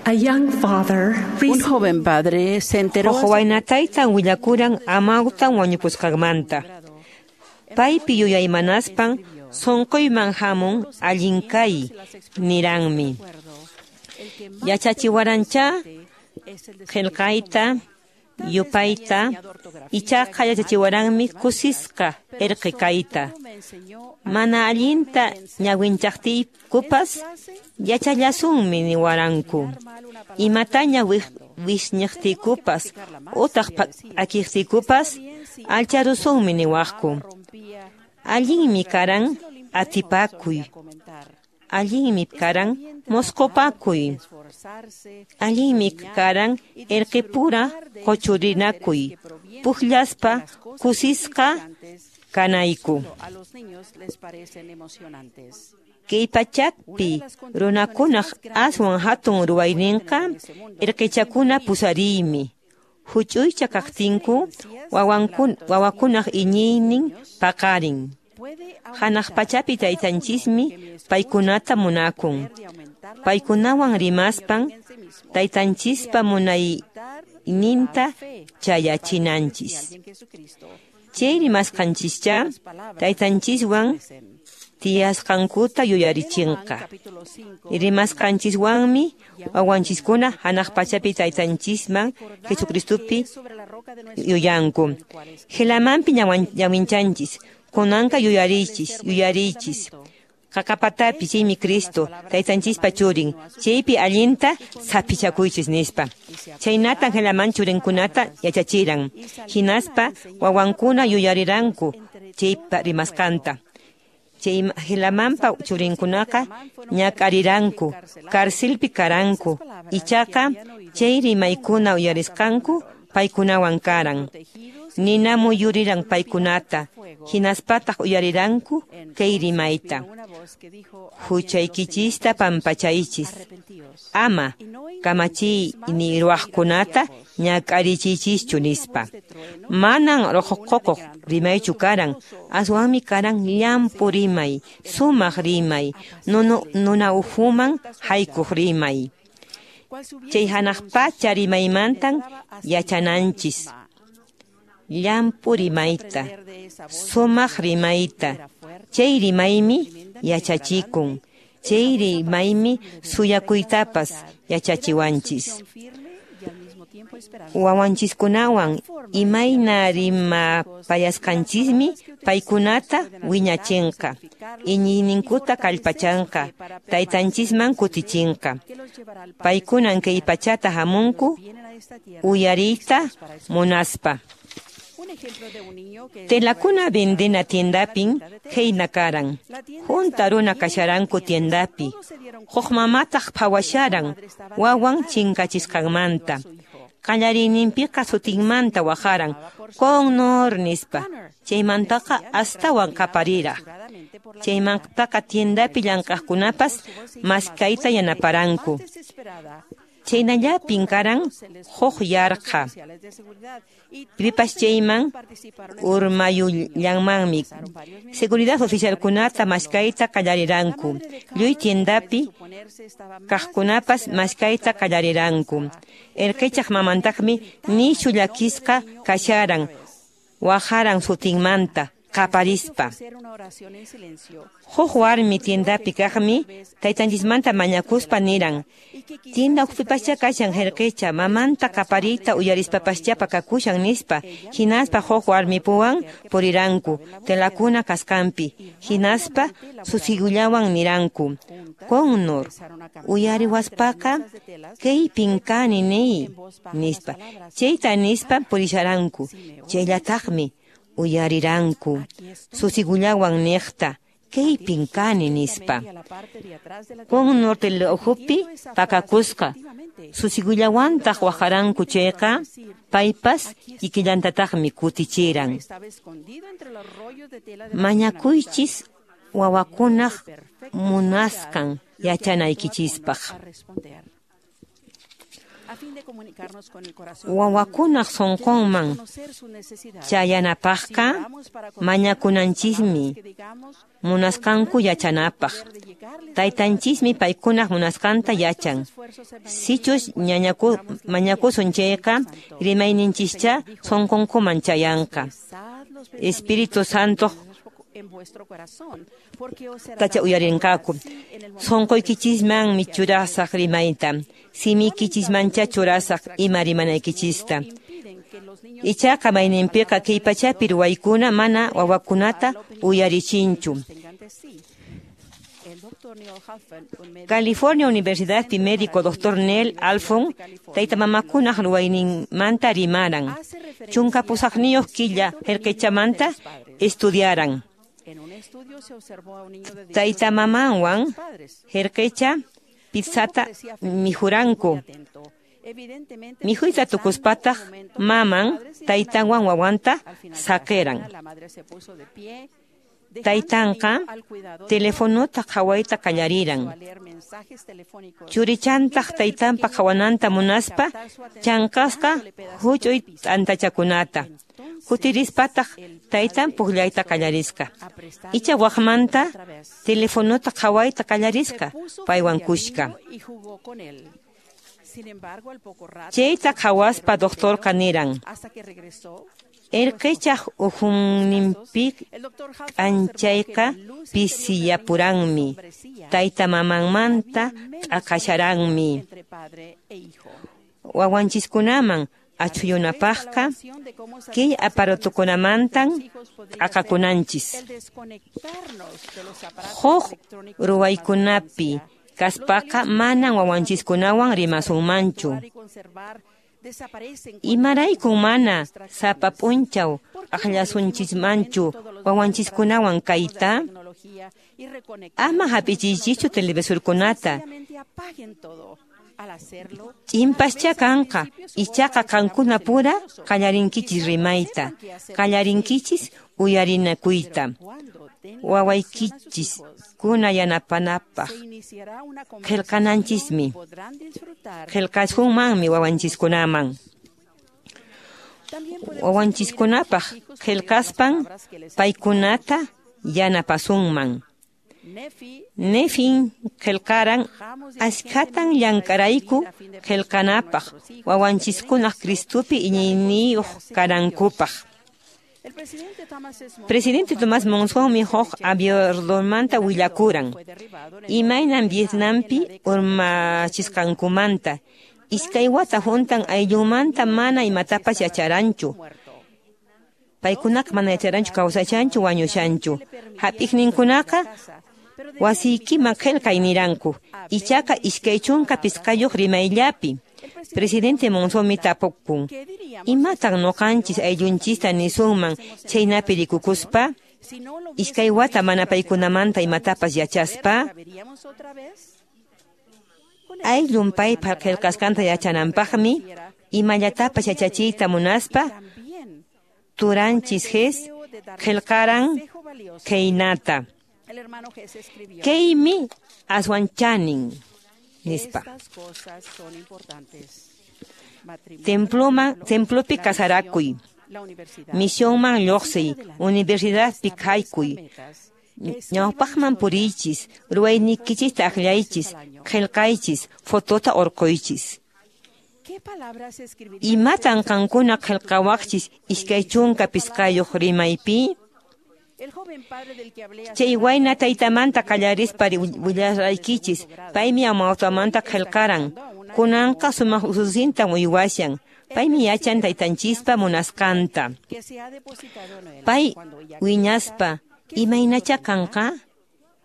A young father Un joven padre se enteró Huk wayna taytan willakuran amawtan wañupusqanmanta. Paypi yuyaymanaspan sunquyman hamun allin kay niranmi. Yachachiwarancha qillqayta yupayta ichaqa yachachiwaranmi kusisqa irqi kayta. Mana allinta ñawinchaqtiykupas yachallasunmi niwaranku. Imataña wisñiqtiykupas utaq p'akiqtiykupas allcharusunmi niwaqku. Allinmi karan atipakuy. Allinmi karan mosqopakuy. Allinmi karan irqipura quchurinakuy. Pukllaspa kusisqa kanayku. Kay pachapi runakunaq aswan hatun ruwayninqa irqichakuna pusariymi. Huch'uycha kaqtinku wawakunaq iñiynin paqarin. Hanaq pachapi taytanchismi paykunata munakun. Paykunawan rimaspan taytanchispa munayninta chayachinanchis. Chay rimasqanchischa taytanchiswan tiyasqankuta yuyarichinqa. Rimasqanchiswanmi wawanchiskuna hanaq pachapi taytanchisman Jesucristopi yuyanku. Helamanpi ñawinchanchis, kunanqa yuyariychis, yuyariychis. Qaqapatapi chaymi Cristo, taytanchispa churin, chaypi allinta saphichakuychis nispa. Chaynatan Helaman churinkunata yachachiran. Hinaspa wawankuna yuyariranku chaypa rimasqanta. Chay Helamanpa churinkunaqa ñak'ariranku, karsilpi karanku, ichaqa chay rimaykuna uyarisqanku paykunawan karan. Ninamu yuriran paykunata, hinaspataq uyariranku kay rimayta. Huchaykichista pampachaychis. Ama kamachiy ni ruwaqkunata ñak'arichiychischu nispa. Manan ruqukuq rimaychu karan, aswanmi karan llampu rimay, sumaq rimay, nuna ukhuman haykuq rimay. Chay hanaq pacha rimaymantan yachananchis. Llampu rimayta, sumaq rimayta, chay rimaymi yachachikun, chay rimaymi suyakuytapas yachachiwanchis. Wawanchiskunawan imayna rimapayasqanchismi paykunata wiñachinqa, iñiyninkuta kallpachanqa, taytanchisman kutichinqa. Paykunan kay pachata hamunku uyariyta munaspa. Telakuna vendena tiendapin khayna karan. Junta runa kasharanku tiendapi. Huk mamataq phawasharan wawan chinkachisqanmanta. Qallariyninpiqa sutinmanta waqaran Connor nispa. Chaymantaqa astawan qapariraq. Chaymantaqa tiendapi llank'aqkunapas maskayta yanaparanku. Chaynallapin karan huk yarqa. Pipas chayman urmayullanmanmi. Seguridad oficialkunata maskayta qallariranku. Lluy tiendapi kaqkunapas maskayta qallariranku. Irqichaq mamantaqmi nishu llakisqa kasharan, waqaran sutinmanta qaparispa. Huk warmi tiendapi kaqmi taytanchismanta mañakuspa niran. Tienda ukhupipaschá kashan irqicha, mamanta qapariyta uyarispapaschá pakakushan nispa. Hinaspa huk warmipuwan puriranku telakuna kasqanpi. Hinaspa susigullawan niranku. Connor, uyariwaspaqa kaypin kani niy nispa. Chayta nispa purisharanku. Chayllataqmi uyariranku susigullawan niqta kaypin kani nispa. Connor tela ukhupi pakakusqa susigullawantaq waqaranku chayqa paypas kikillantataqmi kutichiran. Mañakuychis wawakunaq munasqan yachanaykichispaq. Wawakunaq sunqunman chayanapaqqa mañakunanchismi munasqanku yachanapaq. Taytanchismi paykunaq munasqanta yachan. Sichus mañakusun chayqa rimayninchischa sunqunkuman chayanqa. Espíritu Santo tacha uyarinqaku. Sunquykichismanmi churasaq rimayta, simiykichismancha churasaq ima rimanaykichista. Ichaqa mayninpiqa kay pachapi ruwaykuna mana wawakunata uyarichinchu. California Universidadpi médico Dr. Neil Alfon tayta mamakunaq ruwayninmanta rimaran. 18 killa herqichamanta estudiaran. Tayta mamanwan herqicha pizzata mijuranku. Mijuyta tukuspataq maman taytanwan wawanta saqiran. Taytanqa telefonota qhawayta qallariran. Churichantaq taytanpa qhawananta munaspa chanqasqa huch'uy t'antachakunata. Kutirispataq taytan puqllayta qallarisqa. Icha waqmanta telefonota qhawayta qallarisqa paywan kushka. Chayta qhawaspa doctorqa niran. Erqichaq ukhunninpi k'anchayqa pisiyapuranmi, tayta mamanmanta t'aqasharanmi. Wawanchiskunaman achhuyunapaqqa kay aparatukunamantan t'aqakunanchis. Huk ruwaykunapi kaspaqa manan wawanchiskunawan rimasunmanchu. Imaraykun mana sapa p'unchaw akllasunchismanchu wawanchiskunawan kayta? Ama hap'ichiychischu televisorkunata. Ch'inpascha kanqa, ichaqa qankuna pura qallarinkichis rimayta, qallarinkichis uyarinakuyta. Wawaykichiskuna yanapanapaq qillqananchismi, qillqasunmanmi wawanchiskunaman. Wawanchiskunapaq qillqaspan paykunata yanapasunman. Nefin qillqaran askhatan llank'arayku qillqanapaq wawanchiskunaq Cristupi iñiyniyuq kanankupaq. Presidente Tomás Monsonmi huk aviordomanta willakuran. Imaynan Vietnampi urmachisqankumanta. Iskay wata huntan ayllunmanta mana imatapas yacharanchu. Paykunaqa mana yacharanchu kawsashanchu wañushanchu. Hap'iqninkunaqa wasiykiman qillqay niranku. Ichaqa 25 rimayllapi. Presidente Monzonmi tapukun. Imatan nuqanchis ayllunchista nisunman chaynapi rikukuspa? Iskay wata mana paykunamanta imatapas yachaspa? Ayllun paypa qillqasqanta yachananpaqmi imallatapas yachachiyta munaspa turanchis Jes qillqaran khaynata. Kaymi aswan chanin nispa. Templopi kasarakuy, misionman lluqsiy, universidadpi kaykuy, ñawpaqman puriychis, ruwaynikichista akllaychis, qillqaychis, fotota urquychis. Imatan qankuna qillqawaqchis 25 rimaypi? Chay wayna taytamanta qallarispa willaraykichis, paymi amawtamanta qillqaran. Kunanqa sumaq ususintan uywashan. Paymi yachan taytanchispa munasqanta. Pay wiñaspa imaynacha kanqa?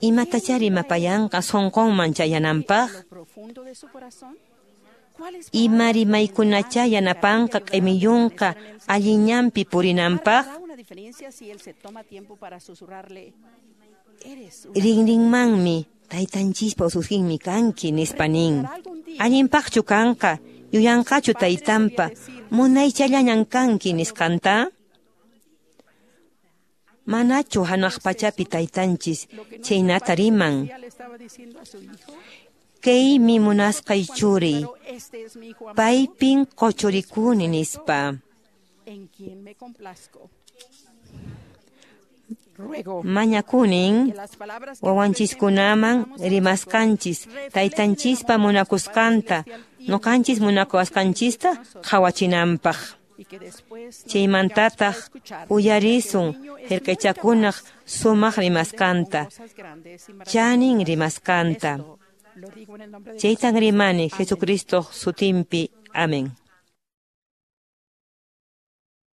Imatacha rimapayanqa sunqunman chayananpaq? Ima rimaykunacha yanapanqa q'imiyunqa allinñanpi purinanpaq? Rinrinmanmi taytanchispa ususinmi kanki nispa nin. Allinpaqchu kanqa, yuyanqachu taytanpa munaychallañan kanki nisqanta? Manachu hanaq pachapi taytanchis chaynata riman. Kaymi munasqay churiy, Paypin qochurikuni nispa. Mañakunin wawanchiskunaman rimasqanchis taytanchispa munakusqanta noqanchis munakuwasqanchista qhawachinanpaq. Chaymantataq uyarisun qillqachakunaq sumaq rimasqanta, chanin rimasqanta. Chaytan rimani Jesucristo sutinpi. Amén.